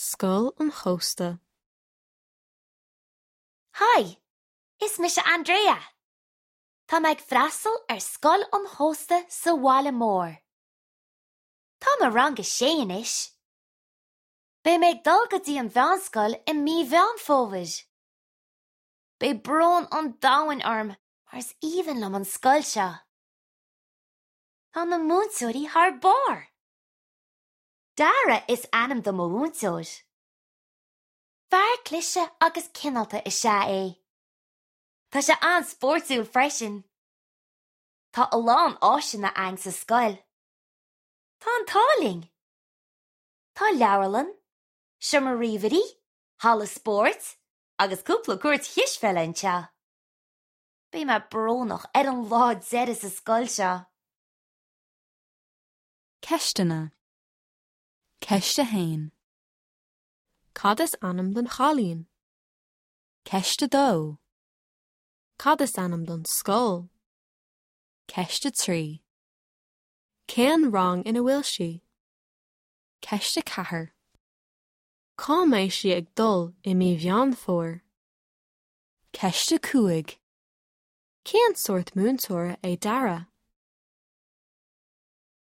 Scoil an Chósta. Haigh! Is mise Andrea. Tá mé ag freastal ar Scoil an Chósta sa bhaile mór. Táim i rang a sé anois. Beidh mé ag dul go dtí an mheánscoil i mí Mheán Fómhair. Beidh brón an domhain orm mar is aoibhinn liom an scoil seo. Tá na múinteoirí thar barr! Dara is ainm do mo mhúinteoir. Fear cliste agus cineálta is ea é. Tá sé an-spórtúil freisin. Tá a lán áiseanna againn sa scoil. Tá an t-ádh linn! Tá leabharlann, seomra ríomhairí, halla spóirt agus cúpla cúirt chispheile anseo. Beidh mé brónach ar an lá deiridh sa scoil seo. Ceisteanna. Ceist 1. Cad is ainm don chailín? Ceist 2. Cad is ainm don scoil? Ceist 3. Cén rang ina bhfuil sí? Ceist 4. Cá mbeidh sí ag dul i mí Mheán Fómhair? Ceist 5. Cén sórt múinteora é Dara?